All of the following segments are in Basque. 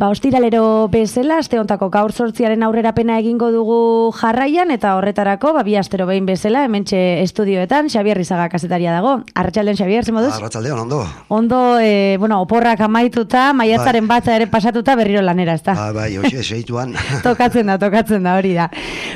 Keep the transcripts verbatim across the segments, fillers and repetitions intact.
Ba, ostiralero bezala, aste hontako gaur zortziaren aurrerapena egingo dugu jarraian, eta horretarako, ba, bi astero behin bezala, hementxe estudioetan, Xabier Rizaga kazetaria dago. Arratsaldeon, Xabier, zer moduz? Arratsaldeon, ondo. Ondo, e, bueno, oporrak amaituta, maiatzaren ba. batza ere pasatuta berriro lanera, ezta? Ba, bai, hoxe, seituan. tokatzen da, tokatzen da, hori da.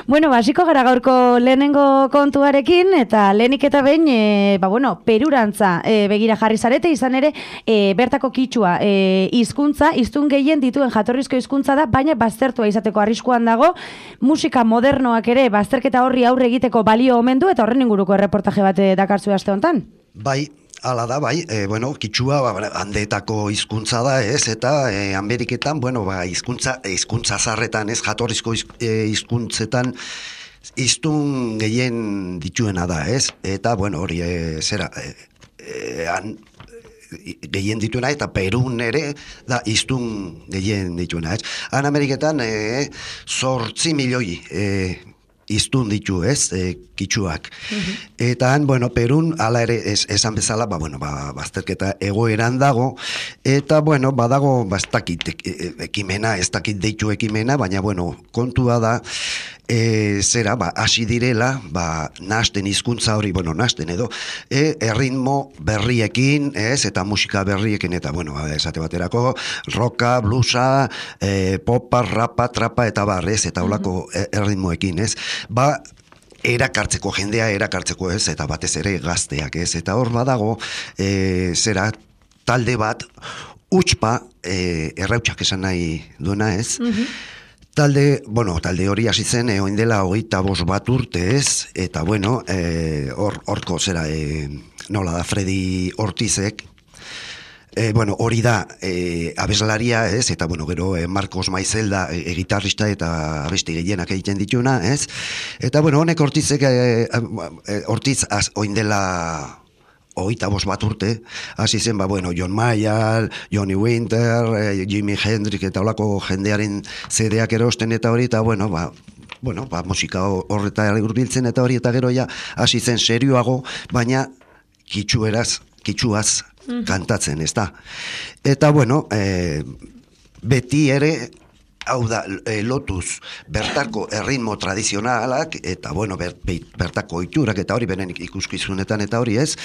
Bueno, basiko gara gaurko lehenengo kontuarekin, eta lehenik eta behin, e, ba, bueno, perurantza e, begira jarri zarete, izan ere, e, bertako kitsua, e, hizkuntza, hiztun gehien dituen jatorrizko hizkuntza da, baina baztertua izateko arriskuan dago, musika modernoak ere bazterketa horri aurre egiteko balio omen du, eta horren inguruko erreportaje bat dakarzu aste hontan. Bai, hala da, bai, e, bueno, kitsua ba, handeetako hizkuntza da, ez, eta e, Ameriketan, bueno, ba, hizkuntza, hizkuntza zarretan, ez, jatorrizko hizkuntzetan hiztun gehien dituena da, ez, eta, bueno, hori, e, zera, e, e, an, gehien dituena, eta Perun ere da hiztun gehien dituena, ez. Han Ameriketan e, zortzi milioi e, hiztun ditu, ez, e, kitxuak. Uh-huh. Eta han, bueno, Perun, ala ere, ez, esan bezala, ba, bueno, ba, bazterketa egoeran dago, eta, bueno, badago, ba, ez dakit ekimena, ez dakit deitu ekimena, baina, bueno, kontua da, E, zera, ba, hasi direla, ba, nahasten hizkuntza hori, bueno, nahasten edo, e, erritmo berriekin, ez, eta musika berriekin, eta, bueno, esate baterako, roka, bluesa, e, popa, rapa, trapa, eta bar, ez, eta holako mm-hmm. erritmoekin, ez, ba, erakartzeko, jendea erakartzeko, ez, eta batez ere gazteak, ez, eta hor badago, e, zera, talde bat, utzpa, e, errautsak esan nahi duena, ez, mm-hmm. Talde, bueno, talde hori hasi zen, eh, oin dela hogeita bost bat urte, ez, eta, bueno, eh, hor, horko zera, eh, nola da, Freddy Ortizek, eh, bueno, hori da, eh, abeslaria, ez, eta, bueno, gero, eh, Marcos Maizelda, eh, gitarrista eta abesti gehienak egiten dituna, ez, eta, bueno, honek Ortizek, eh, eh, Ortiz, az, oin dela hogeita bost bat urte, hasi zen, ba, bueno, John Mayer, Johnny Winter, eh, Jimi Hendrix, eta holako jendearen zedeak erosten eta hori, eta, bueno, ba, bueno, ba, musika horreta hurbiltzen eta hori, eta gero ja, hasi zen serioago, baina kitxueraz, kitxuaz mm-hmm. kantatzen, ez da. Eta, bueno, eh, beti ere, hau da, e, lotuz bertako erritmo tradizionalak, eta, bueno, ber, bertako iturak, eta hori beren ikuskizunetan, eta hori ez,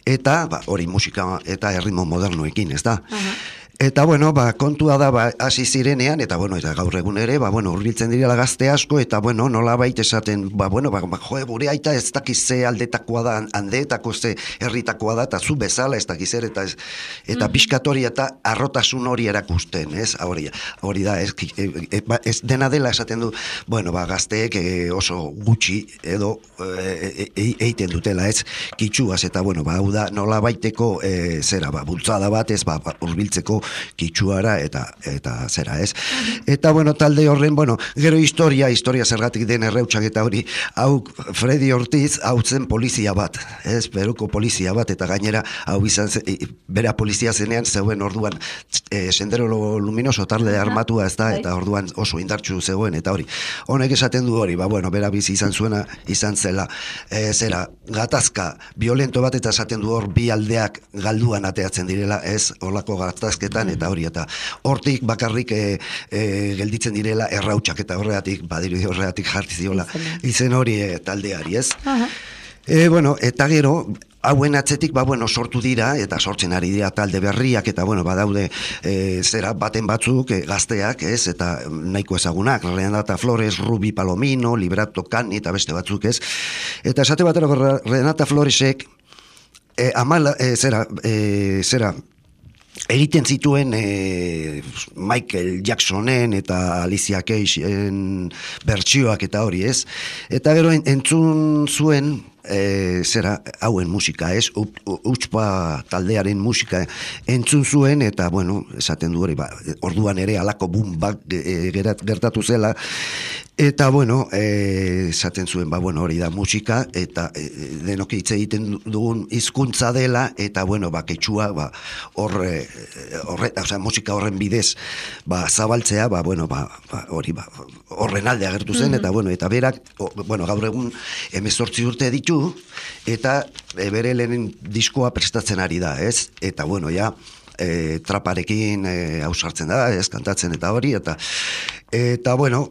eta, ba, hori musika eta erritmo modernoekin, ez da. Uh-huh. Eta, bueno, ba, kontua da, ba, hasi zirenean, eta, bueno, eta gaur egun ere, ba, bueno, hurbiltzen direla gazte asko, eta, bueno, nola baita esaten, ba, bueno, ba, jo, gure aita ez dakiz ze aldetakoa da, handeetako ze herritakoa da, eta zu bezala ez dakiz ere, eta, ez, eta mm-hmm. piskatori eta arrotasun hori erakusten, ez, hori, hori da, ez, e, ba, ez dena dela esaten du, bueno, ba, gazteek e, oso gutxi edo e, e, eiten dutela, ez, kitxuaz, eta, bueno, ba, hau da, nola baiteko, e, zera, ba, bultzada bat, ez, ba, hurbiltzeko kitxuara eta eta zera, ez? Eta, bueno, talde horren, bueno, gero historia, historia zergatik den erreutsak eta hori, hau Freddy Ortiz, hau zen polizia bat, ez? Peruko polizia bat, eta gainera, hau izan, bera polizia zenean, zeuen orduan, e, Sendero Luminoso talde armatua, ez da, eta orduan oso indartsu zegoen, eta hori. Honek esaten du hori, ba, bueno, bera bizi izan zuena, izan zela, e, zera, gatazka, violento bat, eta esaten du hor, bi aldeak galduan ateatzen direla, ez? Horlako gatazketa, eta hori, eta hortik bakarrik e, e, gelditzen direla errautsak, eta horregatik, badiri horregatik jarti ziola, izen hori e, taldeari, ez? Uh-huh. E, bueno, eta gero, hauen atzetik, ba, bueno, sortu dira, eta sortzen ari dira talde berriak, eta, bueno, badaude, e, zera, baten batzuk, e, gazteak, ez, eta nahiko ezagunak, Renata Flores, Ruby Palomino, Liberato Cani, eta beste batzuk, ez? Eta esate batero, Renata Floresek, e, amala, e, zera, e, zera, egiten zituen e, Michael Jacksonen eta Alicia Keysen bertsioak eta hori, ez? Eta gero entzun zuen E, zera, hauen musika, ez? Utspa taldearen musika entzun zuen, eta, bueno, esaten du hori, ba, orduan ere alako boom bak e, gertatu zela, eta, bueno, e, esaten zuen, ba, bueno, hori da musika, eta e, denok hitz egiten dugun hizkuntza dela, eta, bueno, ba, ketxua, ba, horre, horre, osea, musika horren bidez, ba, zabaltzea, ba, bueno, ba, ba hori, ba, horren alde agertu zen, mm-hmm. eta, bueno, eta berak, o, bueno, gaur egun hemezortzi urte ditu, eta e, bere lehen diskoa prestatzen ari da, ez? Eta, bueno, ja, e, traparekin hausartzen da, ez, kantatzen eta hori, eta, eta bueno,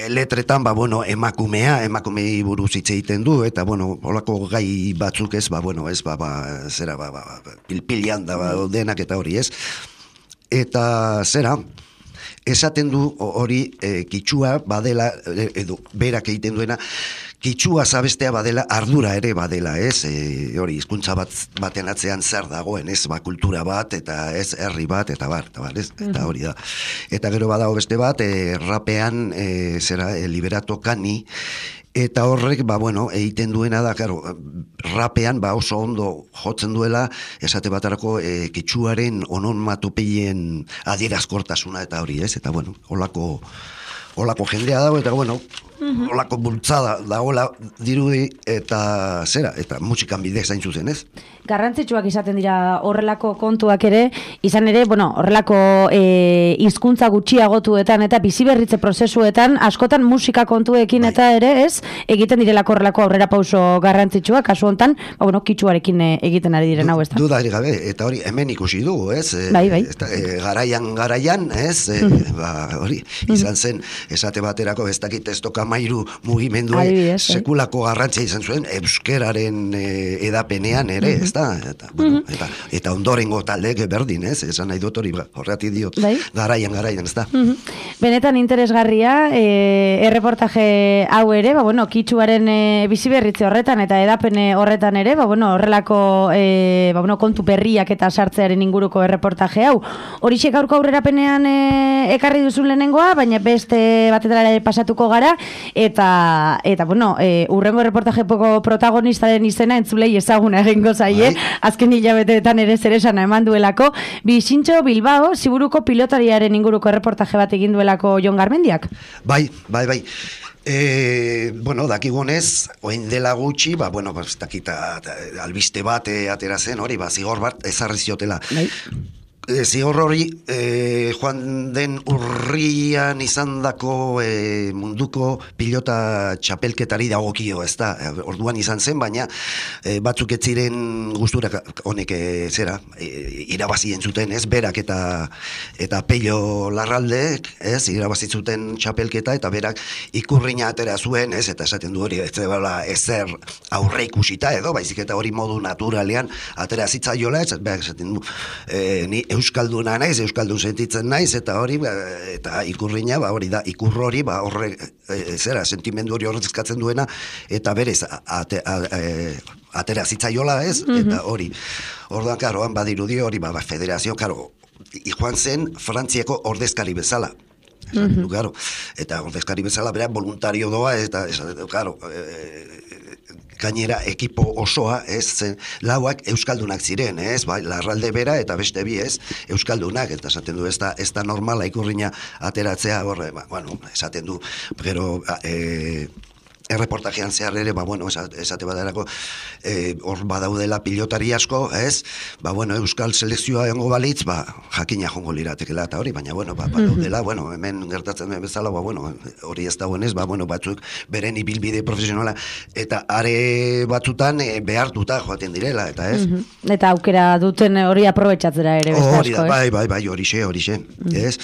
letretan, ba, bueno, emakumea, emakumei buruz hitz egiten du, eta, bueno, holako gai batzuk ez, ba, bueno, ez, ba, ba, zera, ba, ba, pilpilian da, ba, denak eta hori, ez? Eta, zera, esaten du hori e, kitxua badela, edo, berak egiten duena, kitxua zabestea badela, ardura ere badela, ez? E, hori, hizkuntza bat baten atzean zer dagoen, ez? Ba, kultura bat, eta ez herri bat, eta bar, eta bar, ez? Eta hori da. Eta gero badago beste bat, e, rapean, e, zera, e, Liberato Kani, eta horrek, ba, bueno, egiten duena da, karo, rapean, ba, oso ondo jotzen duela, esate batarako, e, kitxuaren onomatopeien adierazkortasuna, eta hori, ez? Eta, bueno, holako, holako jendea dago, eta, bueno, Mm-hmm. olako bultzada dagoela dirudi eta zera, eta musikan bidez zain zuzen, ez? Garrantzitsuak izaten dira horrelako kontuak ere, izan ere, bueno, horrelako e, hizkuntza gutxiagotuetan eta biziberritze prozesuetan askotan musika kontuekin bai. Eta ere, ez, egiten direlako horrelako aurrera pauso garrantzitsuak, kasu hontan, ba, bueno, kitxuarekin egiten ari diren hau, ez da? Dudarik gabe, eta hori hemen ikusi dugu, ez? Bai, bai. Eta, e, garaian, garaian, ez? E, mm-hmm. Ba, hori, izan zen, esate baterako ez dakit ez toka mairu mugimendua sekulako garrantzia izan zuen euskeraren e, edapenean ere, mm-hmm. ez da? Eta, bueno, mm-hmm. eta, eta ondorengo taldeek berdin, ez? Esan nahi dut hori, horreati diot, bai? garaian, garaian, ez da? Mm-hmm. Benetan interesgarria, e, erreportaje hau ere, ba, bueno, kitxuaren e, biziberritze horretan eta edapene horretan ere, ba, bueno, horrelako e, ba, bueno, kontu berriak eta sartzearen inguruko erreportaje hau. Horixe gaurko aurrerapenean e, ekarri duzun lehenengoa, baina beste batetara pasatuko gara, eta, eta bueno, e, urrengo reportajepoko protagonistaren izena entzulei ezaguna egingo zaie, bai. Azken hilabeteetan ere zeresana eman duelako, Bixintxo Bilbao, Ziburuko pilotariaren inguruko reportaje bat egin duelako Jon Garmendiak. Bai, bai, bai. E, bueno, dakigunez, oin dela gutxi, ba, bueno, ba, dakita, albiste bat e, atera zen, hori, ba, zigor bat ezarri ziotela. Bai. Zigor hori, e, joan den urrian izandako e, munduko pilota txapelketari dagokio, ez da, orduan izan zen, baina e, batzuk ez ziren gustura honek e, zera, e, irabazi entzuten, ez, berak eta eta Pello Larralde, ez, irabazi zuten txapelketa, eta berak ikurrina atera zuen, ez, eta esaten du hori, ez dela ezer aurre ikusita edo, baizik eta hori modu naturalean atera zitzaiola, ez, berak esaten du, e, ni euskalduna naiz, euskaldun sentitzen naiz, eta hori, eta ikurrina, ba, hori da, ikur hori, ba, horre, e, zera, sentimendu hori horrezkatzen duena, eta berez, ate, a, e, atera zitzaiola, ez, mm-hmm. eta hori, orduan, karo, han badirudi hori, ba, ba, federazio, karo, joan zen Frantziako ordezkari bezala, mm-hmm. Claro, eta ordezkari bezala, bera, voluntario doa, eta, karo, e, gainera ekipo osoa, ez, lauak euskaldunak ziren, ez, bai, Larralde bera eta beste bi, ez, euskaldunak, eta esaten du, ez da, ez da normala ikurrina ateratzea, horre, ba, bueno, esaten du, pero, e, erreportajean zehar ere, ba, bueno, esate badarako, e, hor badaudela pilotari asko, ez, ba, bueno, euskal selekzioa egongo balitz, ba, jakina jongo liratekela eta hori, baina, bueno, ba, badaudela, bueno, hemen gertatzen den bezala, ba, bueno, hori ez dagoenez, ba, bueno, batzuk beren ibilbide profesionala, eta are batzutan e, behartuta joaten direla, eta ez. Mm-hmm. Eta aukera duten hori aprobetxatzera ere, beste asko, ez? Bai, bai, bai, horixe, horixe, mm-hmm. ez?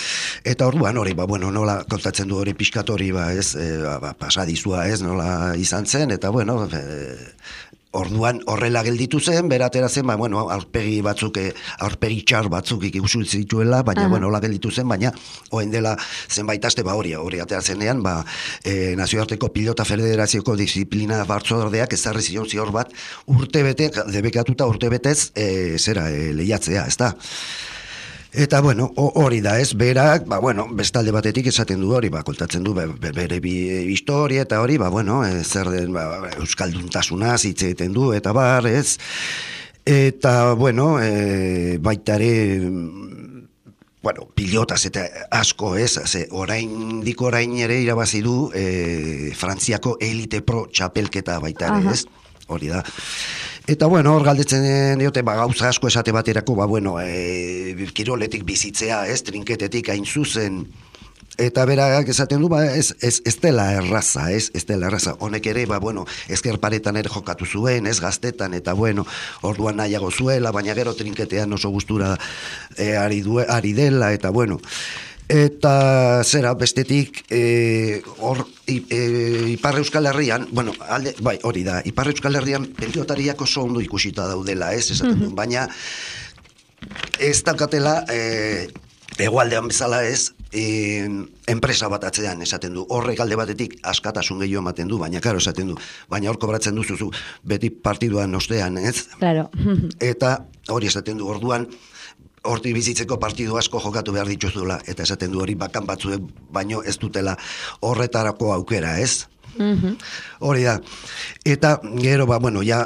Eta orduan hori, ba, bueno, nola kontatzen du hori pixkatori, ba, ez, e, ba, ba, pasadizua, ez, nola izan zen, eta bueno, e, orduan horrela gelditu zen, beratera zen, ba, bueno, aurpegi batzuk, aurpegi txar batzuk ikusi zituela, baina, uh-huh. bueno, hola gelditu zen, baina, oen dela zenbait aste, ba, hori, hori atera zenean, ba, e, nazioarteko pilota federazioko disiplina batzordeak ezarri zion zior bat, urte bete, debekatuta urte betez, e, zera, e, lehiatzea, ez da? Eta, bueno, hori da, ez, berak, ba, bueno, bestalde batetik esaten du hori, ba, kontatzen du, be, bere bi historia, eta hori, ba, bueno, e, zer den, ba, euskalduntasunaz hitz egiten du, eta bar, ez, eta, bueno, e, baitare, bueno, pilotaz eta asko, ez, ze, orain, dik orain ere irabazi du, e, Frantziako Elite Pro txapelketa baitare, ez, hori da. Eta, bueno, hor galdetzen diote, ba, gauza asko esate baterako, ba, bueno, e, kiroletik bizitzea, ez, trinketetik hain zuzen, eta berak esaten du, ba, ez, ez, ez dela erraza, ez, ez dela erraza. Honek ere, ba, bueno, ezker paretan ere jokatu zuen, ez, gaztetan, eta, bueno, orduan nahiago zuela, baina gero trinketean oso gustura e, ari, due, ari dela, eta, bueno, eta zera, bestetik, e, hor, e, Ipar Euskal Herrian, bueno, alde, bai, hori da, Ipar Euskal Herrian pentsiotariak oso ondo ikusita daudela, ez, esaten du, baina ez daukatela, e, hegoaldean bezala ez, e, enpresa bat atzean esaten du, horrek alde batetik askatasun gehiago ematen du, baina karo esaten du, baina hor kobratzen duzuzu beti partiduan ostean, ez? Claro. Eta hori esaten du, orduan, hortik bizitzeko partidu asko jokatu behar dituzula, eta esaten du hori bakan batzuek baino ez dutela horretarako aukera, ez? Mm-hmm. Hori da. Eta gero, ba, bueno, ja,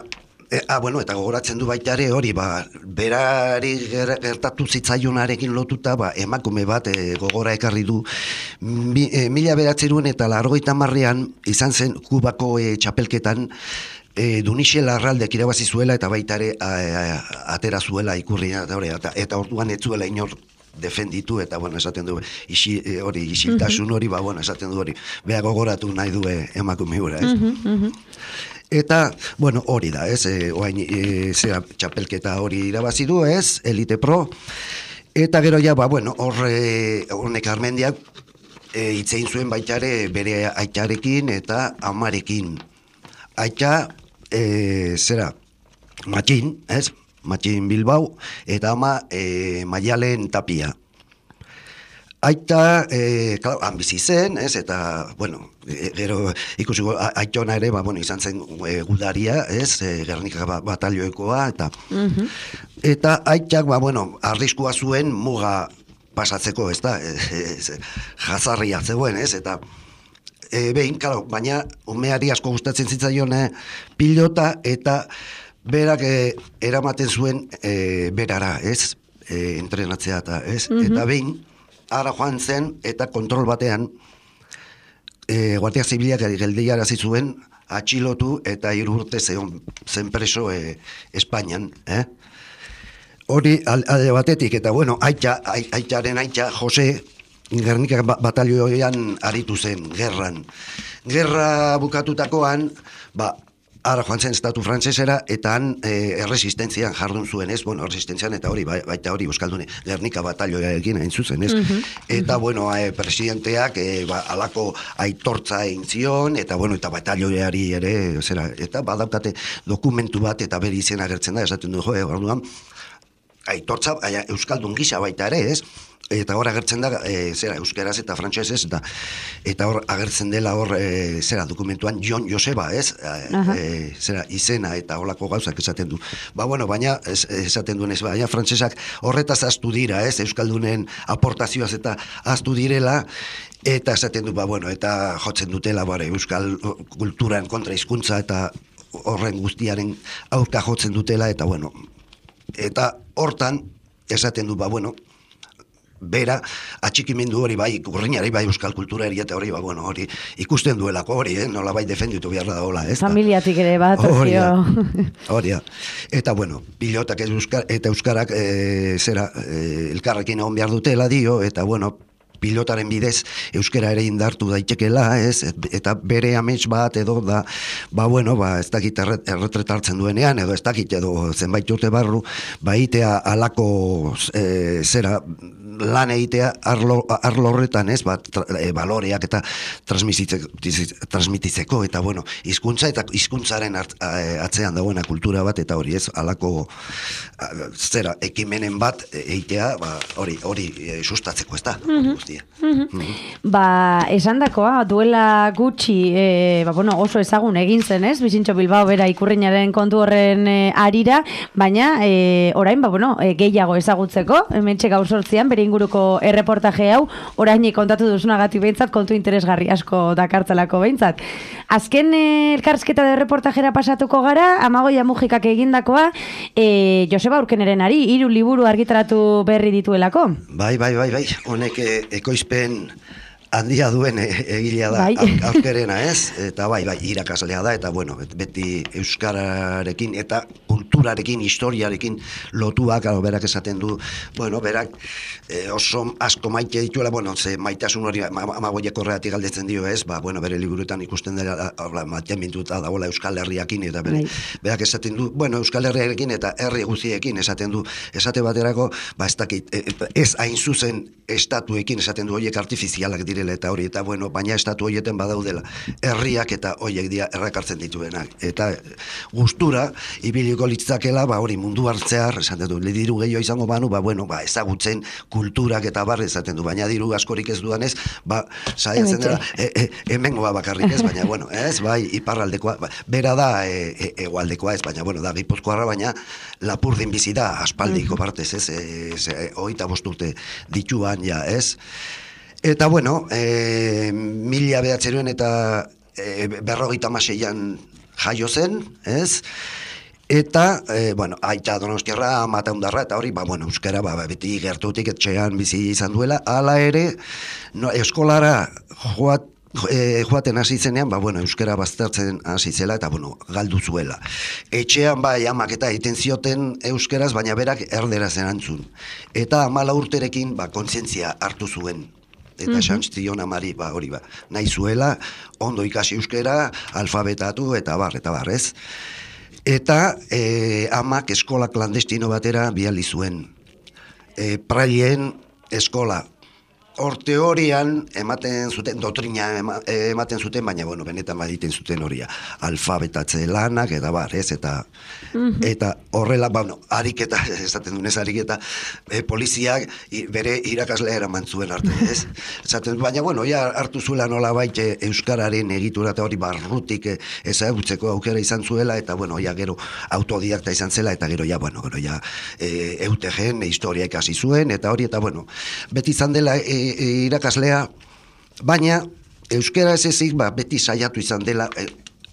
e, ah, bueno, eta gogoratzen du baita ere hori, ba, berari gertatu zitzaionarekin lotuta, ba, emakume bat e, gogora ekarri du, mi, e, mila beratzeruen eta largoita marrean izan zen Kubako e, txapelketan, E, Dunixe Larraldek irabazi zuela eta baita ere atera zuela ikurria eta, eta, eta orduan ez zuela inor defenditu eta bueno, esaten du isi, hori isiltasun hori, ba, bueno, esaten du hori beha gogoratu nahi du emakume hura, ez? Mm-hmm. Eta, bueno, hori da, ez? E, oain, e, zera, txapelketa hori irabazi du, ez? Elite Pro. Eta gero ja, ba, bueno, horre, honek Armendiak e, itzein zuen baita ere bere aitarekin eta amarekin. Aita, e, zera, Matxin, ez? Matxin Bilbao, eta ama e, Maialen Tapia. Aita, e, klar, han bizi zen, ez? Eta, bueno, e, gero ikusiko aitona ere, ba, bueno, izan zen e, gudaria, ez? E, Gernika batalioekoa, eta mm-hmm. eta aitak, ba, bueno, arriskua zuen muga pasatzeko, ez da? E, e, jazarria zegoen, ez? Eta E, behin, claro, baina umeari asko gustatzen zitzaion eh, pilota eta berak eh, eramaten zuen eh, berara, ez? E, entrenatzea eta, ez? Mm-hmm. Eta behin, ara joan zen eta kontrol batean e, Guardia Zibilak geldiarazi zuen atxilotu eta hiru urte zen, zen preso e, Espainian, eh? Hori alde batetik, eta bueno, aita, aitaren aita, Jose, Gernika batalioan aritu zen, gerran. Gerra bukatutakoan, ba, ara joan zen estatu frantzesera, eta han e, erresistentzian jardun zuen, ez? Bueno, erresistentzian, eta hori, baita hori, Euskaldune, Gernika batalioarekin hain zuzen, ez? Mm-hmm. Eta, bueno, e, presidenteak, e, ba, alako aitortza egin zion, eta, bueno, eta batalioari ere, zera, eta badaukate dokumentu bat, eta bere izen agertzen da, esaten du, jo, e, orduan, aitortza, aia, Euskaldun gisa baita ere, ez? Eta hor agertzen da, e, zera, euskeraz eta frantsesez, eta eta hor agertzen dela hor, e, zera, dokumentuan Jon Joseba, ez? E, zera, izena eta holako gauzak esaten du. Ba, bueno, baina, ez, esaten duen ez, baina frantsesak horretaz aztu dira, ez? Euskaldunen aportazioaz eta aztu direla, eta esaten du, ba, bueno, eta jotzen dutela, bare, euskal kulturan kontra hizkuntza eta horren guztiaren aurka jotzen dutela, eta, bueno, eta hortan, esaten du, ba, bueno, bera, atxikimendu hori bai, urrinari bai euskal kultura eta hori, ba, bueno, hori ikusten duelako hori, eh? Nola bai defenditu behar da hola, ez? Familiatik ere bat, hori hori eta, bueno, pilotak euskar, eta euskarak e, zera, e, elkarrekin egon behar dutela dio, eta, bueno, pilotaren bidez euskara ere indartu daitekela, ez? Eta bere amets bat edo da, ba, bueno, ba, ez dakit erretretartzen duenean, edo ez dakit edo zenbait urte barru, ba, itea alako e, zera, lan egitea arlo, arlo horretan, ez, ba, tra, e, baloreak eta transmititzeko, eta, bueno, hizkuntza eta hizkuntzaren atzean dagoena kultura bat, eta hori, ez, alako zera, ekimenen bat eitea, ba, hori, hori e, sustatzeko, ez da, hori guztia. Mm-hmm. Mm-hmm. Ba, esan dakoa, duela gutxi, e, ba, bueno, oso ezagun egin zen, ez? Bizintxo Bilbao bera ikurriñaren kontu horren e, arira, baina e, orain, ba, bueno, e, gehiago ezagutzeko, hementxe gaur sortzian, bere inguruko erreportaje hau, orain kontatu duzunagatik behintzat, kontu interesgarri asko dakartzelako behintzat. Azken e, elkarrizketa de reportajera pasatuko gara, Amagoia Mujikak egindakoa, e, Joseba Urkeneren ari, hiru liburu argitaratu berri dituelako. Bai, bai, bai, bai, honek e, ekoizpen handia duen egilea da, bai. Aurkerena, ez? Eta bai, bai, irakaslea da, eta bueno, beti euskararekin eta kulturarekin, historiarekin lotuak, alo, berak esaten du, bueno, berak e, oso asko maite dituela, bueno, ze maitasun hori Amagoiak horregatik galdetzen dio, ez? Ba, bueno, bere liburuetan ikusten dela, maitean mintuta dagoela Euskal Herriakin, eta bere, berak esaten du, bueno, Euskal Herriarekin eta herri guztiekin esaten du, esate baterako, ba, ez dakit, ez hain zuzen estatuekin esaten du, horiek artifizialak dire eta hori, eta bueno, baina estatu horieten badaudela herriak eta horiek dira errakartzen dituenak, eta gustura ibiliko litzakela, ba hori mundu hartzear, esaten du, diru gehiago izango banu, ba bueno, ba ezagutzen kulturak eta barri esaten du, baina diru askorik ez dudanez, ba saiatzen dela, e, e, hemengoa bakarrik ez, baina bueno, ez, bai, iparraldekoa, ba, bera da e, hegoaldekoa ez, baina bueno, da Gipuzkoarra, baina Lapurdin bizi da, aspaldiko partez, ez, e, e, hogeita bost urte dituan ja, ez. Eta, bueno, e, mila behatzeruen eta e, berrogeita hamaseian jaio zen, ez? Eta, e, bueno, aita Donostiarra, ama Taundarra, eta hori, ba, bueno, euskara, ba, beti gertutik etxean bizi izan duela, hala ere, no, eskolara joat, E, joaten hasi zenean, ba, bueno, euskara baztertzen hasi zela, eta, bueno, galdu zuela. Etxean, bai, amak eta egiten zioten euskeraz, baina berak erderaz erantzun. Eta amala urterekin, ba, kontzientzia hartu zuen. Eta mm-hmm. xantzion amari, ba, hori, ba, nahi zuela, ondo ikasi euskera, alfabetatu, eta bar, eta bar, ez? Eta e, amak eskola klandestino batera bihali zuen. E, Praileen eskola. Hor teorian ematen zuten, doktrina ema, ematen zuten, baina, bueno, benetan baditen zuten horia. Alfabetatze lanak, eta bar, ez, eta mm-hmm. eta horrela, bueno, ariketa, esaten dunez ariketa, e, poliziak i, bere irakaslea eraman zuen arte, ez? Esaten, baina, bueno, ja hartu zuela nola baite euskararen egitura eta hori barrutik e, ezagutzeko aukera izan zuela, eta, bueno, ja gero autodidakta izan zela, eta gero, ja, bueno, gero, ja, e, eutegen, e, historia ikasi zuen, eta hori, eta, bueno, beti izan dela, e, E, irakaslea, baina euskara ez ezik, ba, beti saiatu izan dela e,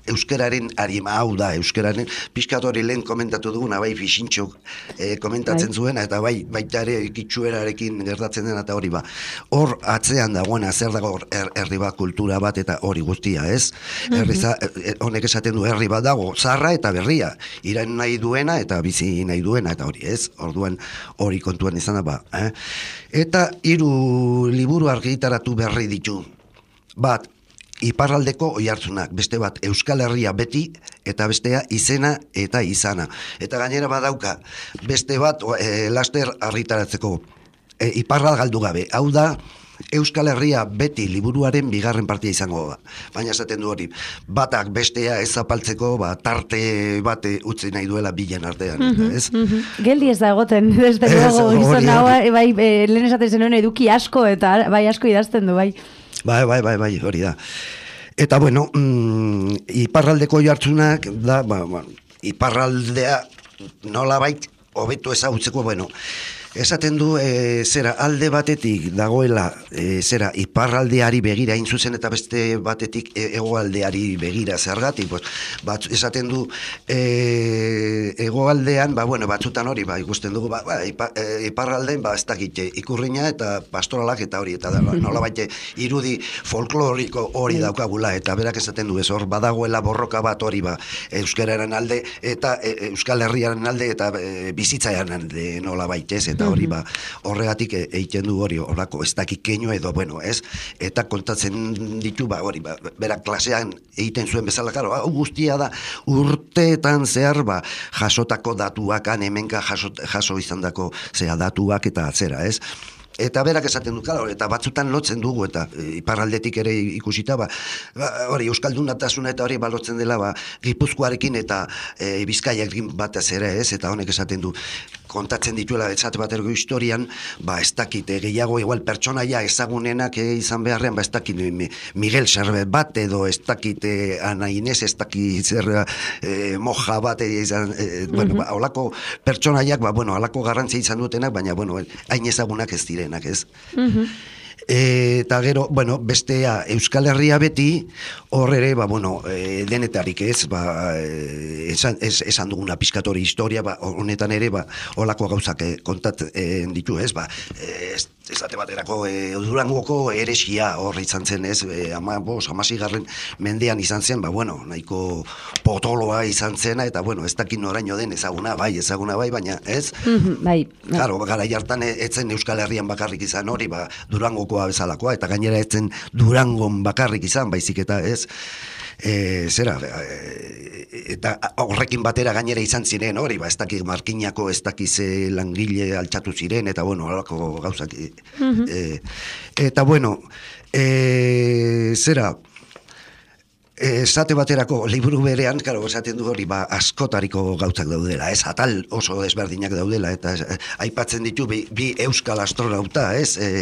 euskararen arima, hau da, euskararen pixkat hori lehen komentatu duguna, bai Fixintxok e, komentatzen zuena, eta bai baita ere kitxuerarekin gertatzen dena, eta hori ba, hor atzean dagoena, zer dago er, herri bat, kultura bat, eta hori guztia, ez? Mm-hmm. Herriza, e, honek esaten du herri bat dago, zarra eta berria, irain nahi duena, eta bizi nahi duena, eta hori, ez? Orduan hori kontuan izan da, ba, eh? Eta hiru liburu argitaratu berri ditu. Bat, iparraldeko oihartzunak, beste bat Euskal Herria beti, eta bestea izena eta izana. Eta gainera badauka, beste bat e, laster argitaratzeko e, iparral galdu gabe. Hau da, Euskal Herria beti liburuaren bigarren partia izango da. Baina esaten du hori, batak bestea ez zapaltzeko, ba, tarte bate utzi nahi duela bilen artean. Mm-hmm, ez? Mm-hmm. Geldi ez da egoten, desde luego, gizon hau, bai, e, lehen esaten zenuen eduki asko, eta bai asko idazten du, bai. Bai, bai, bai, bai, hori da. Eta, bueno, mm, iparraldeko jartzunak, da, ba, ba, iparraldea nola bait, hobeto ezagutzeko, bueno, esaten du, e, zera, alde batetik dagoela, e, zera, iparraldeari begira hain zuzen, eta beste batetik e, egoaldeari begira zergatik, pues, bat, esaten du, e, egoaldean, ba, bueno, batzutan hori, ba, ikusten dugu, ba, ba ipa, e, iparraldean, ba, ez dakit, ikurriña eta pastoralak eta hori, eta da, ba, nola baite, irudi folkloriko hori daukagula, eta berak esaten du, ez hor, badagoela borroka bat hori, ba, euskararen alde, eta e, Euskal Herriaren alde, eta e, bizitzaian alde, nola baite, ez, eta hori ba, horregatik egiten du hori horako ez dakik keino edo, bueno, ez, eta kontatzen ditu, ba, hori, ba, berak klasean egiten zuen bezala, karo, hau guztia da, urteetan zehar, ba, jasotako datuak, hemenka jaso, jaso izan dako, zera, datuak eta atzera, ez, Eta berak esaten du, claro, eta batzutan lotzen dugu, eta e, iparraldetik ere ikusita, ba, ba, hori, euskaldunatasuna eta hori balotzen dela, ba, Gipuzkoarekin eta e, Bizkaiarekin batez ere, ez, eta honek esaten du, kontatzen dituela, esate baterko historian, ba, ez dakit, e, gehiago, igual, pertsonaia ezagunenak e, izan beharrean, ba, ez dakit, mi, Miguel Serbet bat, edo ez dakit, e, Ana Inez, ez dakit, zer, e, moja bat, e, izan, e, bueno, ba, holako pertsonaiak, ba, bueno, holako garrantzia izan dutenak, baina, bueno, hain ezagunak ez direnak, ez? Mm-hmm. E, eta gero, bueno, bestea Euskal Herria beti, hor ere, ba, bueno, e, denetarik ez, ba, e, esan, ez, esan duguna pizkatori historia, ba, honetan ere, ba, holako gauzak e, kontatzen ditu, ez, ba, e, ez, ezate baterako e, Durangoko eresia hor izan zen, ez, e, ama, bos, amasigarren mendean izan zen, ba, bueno, nahiko potoloa izan zena, eta, bueno, ez dakit noraino den ezaguna, bai, ezaguna bai, baina, ez? Mm-hmm, bai. Claro, garai hartan etzen Euskal Herrian bakarrik izan hori, ba, Durangoko bezalakoa, eta gainera etzen Durangon bakarrik izan, baizik eta ez, e, zera, e, eta horrekin batera gainera izan ziren hori, ba, ez dakik markinako, ez dakize langile altxatu ziren, eta bueno, horako gauzak. Mm-hmm. e, eta bueno, e, zera, esate baterako liburu berean, karo, esaten du hori, ba, askotariko gautzak daudela, ez, atal oso desberdinak daudela, eta ez, aipatzen ditu bi, bi euskal astronauta, ez, e,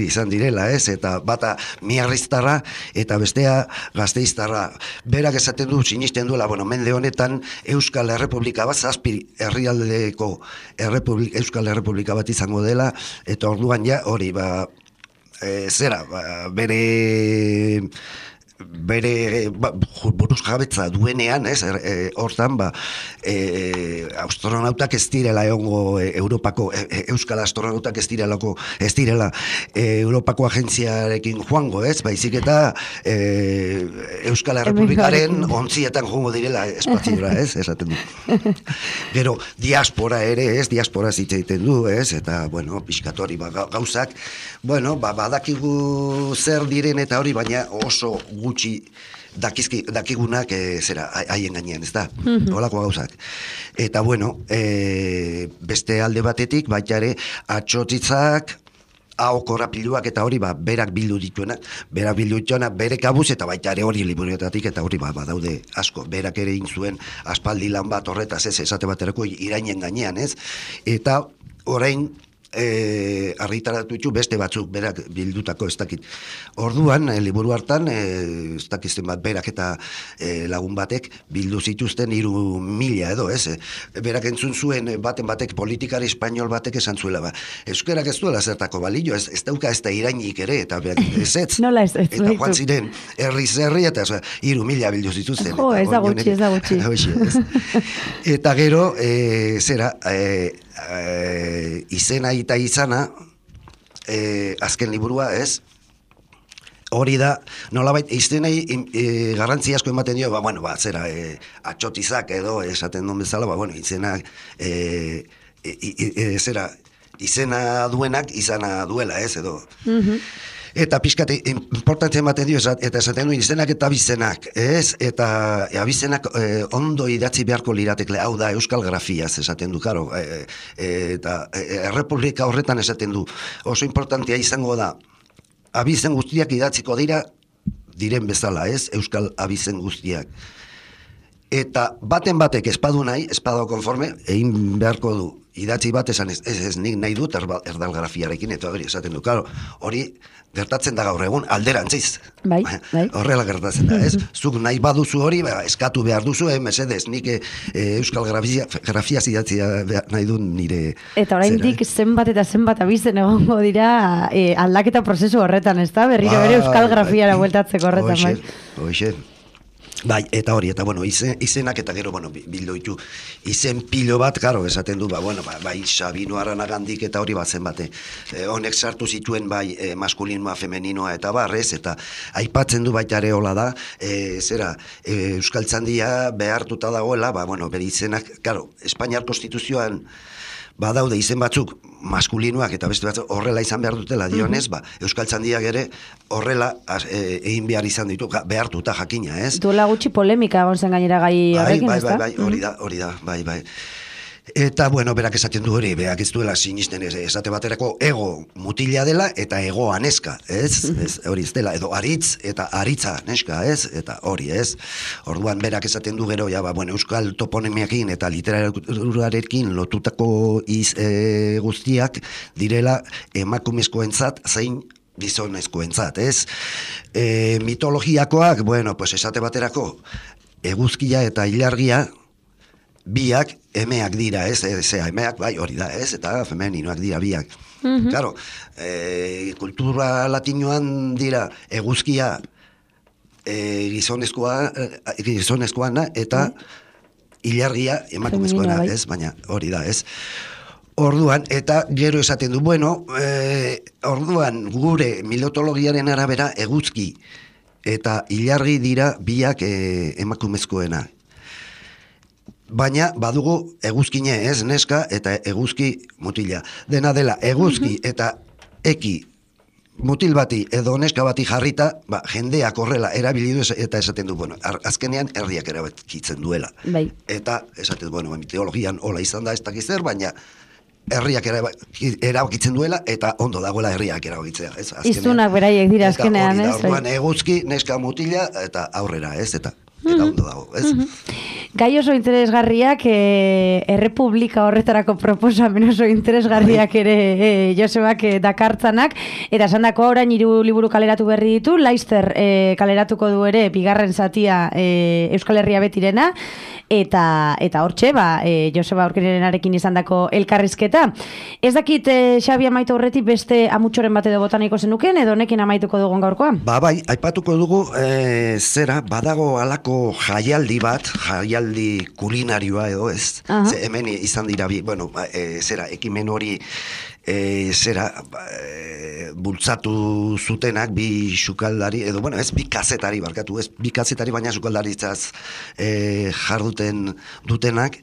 izan direla, ez, eta bata miarriztarra, eta bestea gazteiztarra. Berak esaten du, sinisten duela, bueno, mende honetan, Euskal Errepublika bat, zazpi herrialdeko Errepublik, Euskal Errepublika bat izango dela, eta orduan ja, hori, ba, e, zera, ba, bere... bere ba, buruz jabetza duenean, ez, e, hortan, ba, e, astronautak ez direla egongo e, Europako, e, e, Euskal astronautak ez direlako, ez direla e, Europako agentziarekin joango, ez, baizik eta e, Euskal Errepublikaren ontzietan joango direla espaziora, ez, esaten du. Gero, diaspora ere, ez, diaspora zitza egiten du, ez, eta, bueno, pixkatori, ba, gauzak, bueno, ba, badakigu zer diren eta hori, baina oso gutxi dakizki, dakigunak e, zera, haien gainean, ez da, mm-hmm. Olako gauzak. Eta bueno, e, beste alde batetik, baita ere, atxotitzak, hau korapiluak eta hori, ba, berak bildu dituenak, berak bildu dituenak, bere kabuz, eta baita ere hori liburuetatik, eta hori, ba, badaude asko, berak ere inzuen aspaldi lan bat horretaz, ez, esate baterako irainen gainean, ez, eta orain, E, argitaratu ditu beste batzuk berak bildutako ez dakit. Orduan, e, liburu hartan, e, ez dakizten bat berak eta e, lagun batek bildu zituzten hiru mila edo, ez? E, berak entzun zuen baten batek politikari espainol batek esan zuela, ba, euskerak ez duela zertako balio, ez, ez dauka ez da irainik ere, eta berak ez ez. Nola ez, ez. Eta joan ziren, herri zerri, eta hiru mila bildu zituzten. Jo, ez da gutxi, ez da gutxi. Eta gero, e, zera, e, E, izena eta izana e, azken liburua, ez? Hori da, nolabait, izenei e, garrantzi asko ematen dio, ba, bueno, ba, zera, e, atxotizak edo esaten duen bezala, ba, bueno, izena e, e, e, e, zera, izena duenak izana duela, ez, edo. Mm-hmm. Eta pixkate, importantzen ematen dio, eta esaten du izenak eta abizenak, ez? Eta abizenak e, ondo idatzi beharko liratekle, hau da euskal grafiaz esaten du, karo, e, e, eta e, errepublika horretan esaten du, oso importantea izango da, abizen guztiak idatziko dira, diren bezala, ez? Euskal abizen guztiak. Eta baten batek espadu nahi, espadu konforme, egin beharko du, idatzi bat esan ez, ez, ez nik nahi dut erdalgrafiarekin, eta hori esaten du, karo, hori gertatzen da gaur egun alderantziz. Bai, bai. Horrela gertatzen da, ez? Zuk nahi baduzu hori, ba, eskatu behar duzu, eh, mesedez, nik e, euskal grafia, grafia zidatzia nahi du nire... Eta oraindik zenbat eta zenbat abizen egongo dira e, aldaketa prozesu horretan, ez da? Berriro ba, bere euskal grafiara ba, bueltatzeko horretan, oixe, bai. Oixe. Bai, eta hori, eta bueno, izen, izenak eta gero, bueno, bildu ditu, izen pilo bat, karo, esaten du, ba, bueno, ba, bai, Sabino Aranagandik eta hori bat zen bate, e, honek sartu zituen, bai, e, maskulinoa, femeninoa eta barrez, eta aipatzen du baita ere hola da, e, zera, e, Euskaltzandia behartuta dagoela, ba, bueno, bere izenak, karo, Espainiar Konstituzioan, badaude izen batzuk maskulinoak eta beste batzuk horrela izan behar dutela dionez, ba, Euskaltzandiak ere horrela egin behar izan ditu, behartuta jakina, ez? Duela gutxi polemika egon zen gainera gai horrekin, bai, ez da? Bai, bai, hori da, hori da, bai, bai. Eta, bueno, berak esaten du hori, berak ez duela sinisten ez, esate baterako ego mutila dela eta egoa neska, ez? Ez, hori ez dela, edo aritz eta aritza neska, ez? Eta hori, ez? Orduan berak esaten du gero, ja, ba, bueno, euskal toponimiakin eta literaturarekin lotutako iz, e, guztiak direla emakumezkoentzat zein gizonezkoentzat, ez? E, mitologiakoak, bueno, pues esate baterako eguzkia eta ilargia biak emeak dira, ez, zea, emeak, bai, hori da, ez, eta femeninoak dira biak. Mm-hmm. Claro, e, kultura latinoan dira eguzkia e, gizonezkoa, e, gizonezkoana eta ilargia emakumezkoana, bai. Ez, baina hori da, ez. Orduan, eta gero esaten du, bueno, e, orduan gure mitologiaren arabera eguzki eta ilargi dira biak e, emakumezkoena. Baina badugu eguzkine, ez, neska eta eguzki mutila. Dena dela, eguzki mm-hmm. eta eki mutil bati edo neska bati jarrita, ba, jendeak horrela erabili du eta esaten du, bueno, azkenean herriak erabakitzen duela. Bai. Eta esaten du, bueno, mitologian hola izan da ez dakiz zer, baina herriak erabakitzen duela eta ondo dagoela herriak erabakitzea. Iztunak beraiek dira azkenean, ez? Orduan eguzki, neska mutila eta aurrera, ez, eta eta ondo dago, ez? Mm-hmm. Gai oso interesgarriak, e, errepublika horretarako proposamen oso interesgarriak ere e, Josebak e, dakartzanak, eta esan dako orain hiru liburu kaleratu berri ditu, Laster e, kaleratuko du ere bigarren zatia e, Euskal Herria betirena, eta eta hortxe, ba, e, Joseba Aurkirenarekin izandako elkarrizketa. Ez dakit, e, Xabi amaitu horretik beste amutxoren bat edo botaniko zenuken, edo honekin amaituko dugun gaurkoa? Ba, bai, aipatuko dugu, e, zera, badago alako jaialdi bat, jaialdi kulinarioa edo ez, uh-huh. Ze hemen izan dira, bi, bueno, e, zera, ekimen hori, e, zera, e, bultzatu zutenak, bi sukaldari, edo, bueno, ez, bi kazetari, barkatu, ez, bi kazetari, baina sukaldaritzaz e, jarduten dutenak,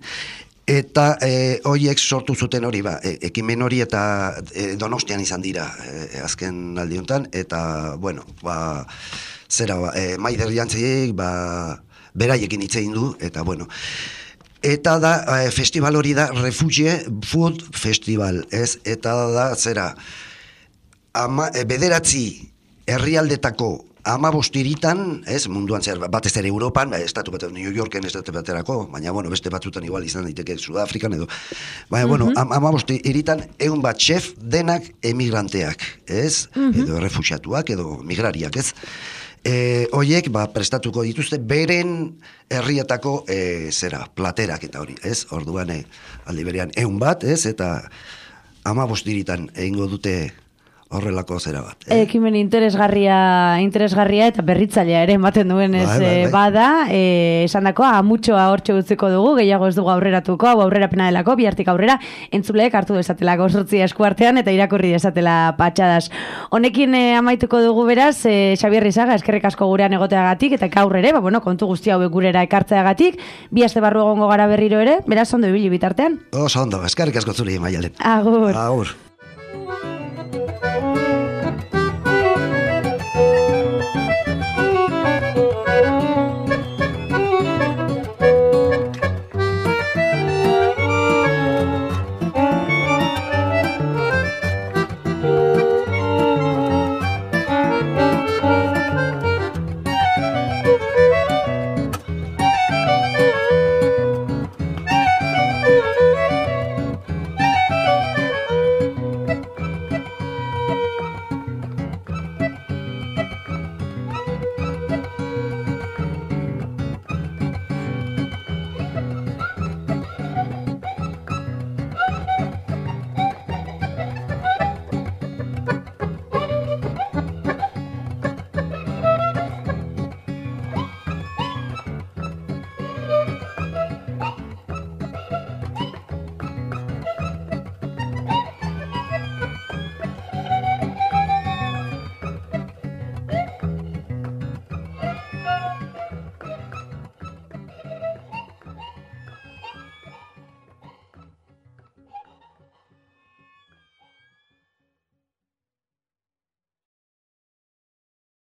eta e, horiek sortu zuten hori, ba, e, ekimen hori eta e, Donostian izan dira e, azken aldi honetan, eta, bueno, ba, zera, ba, e, Maider Jantziek, ba, beraiekin hitz egin du, eta bueno. Eta da, e, festival hori da, Refuge Food Festival, ez? Eta da, zera, ama, e, bederatzi herrialdetako amabostiritan, ez, munduan zer, batez ere Europan, estatu bat, New Yorken estatu baterako, baina, bueno, beste batzutan igual izan daiteke Sudafrikan edo, baina, bueno, am, amabostiritan egun bat chef denak emigranteak, ez? Mm-hmm. Edo refuxiatuak, edo migrariak, ez? E, oiek, ba, prestatuko dituzte beren herrietako e, zera, platerak eta hori, ez? Orduan, e, aldi berean, egun bat, ez? Eta amabostiritan egingo dute horrelako zera bat. Eh? Ekimen interesgarria, interesgarria eta berritzailea ere ematen duen ez bai, bai, bai. Bada, e, esan dako, amutxoa hortxe utziko dugu, gehiago ez dugu aurreratuko, hau aurrera pena delako, bihartik aurrera, entzuleek hartu desatelako sortzia eskuartean eta irakurri desatela patxadas. Honekin e, amaituko dugu beraz, e, Xabier Rizaga, eskerrik asko gurean egoteagatik, eta gaur ere, ba, bueno, kontu guztia hauek gurera ekartzeagatik, bi aste barru egongo gara berriro ere, beraz ondo ibili bitartean. Oso ondo, eskerrik asko zuri, Maialen. Agur. Agur.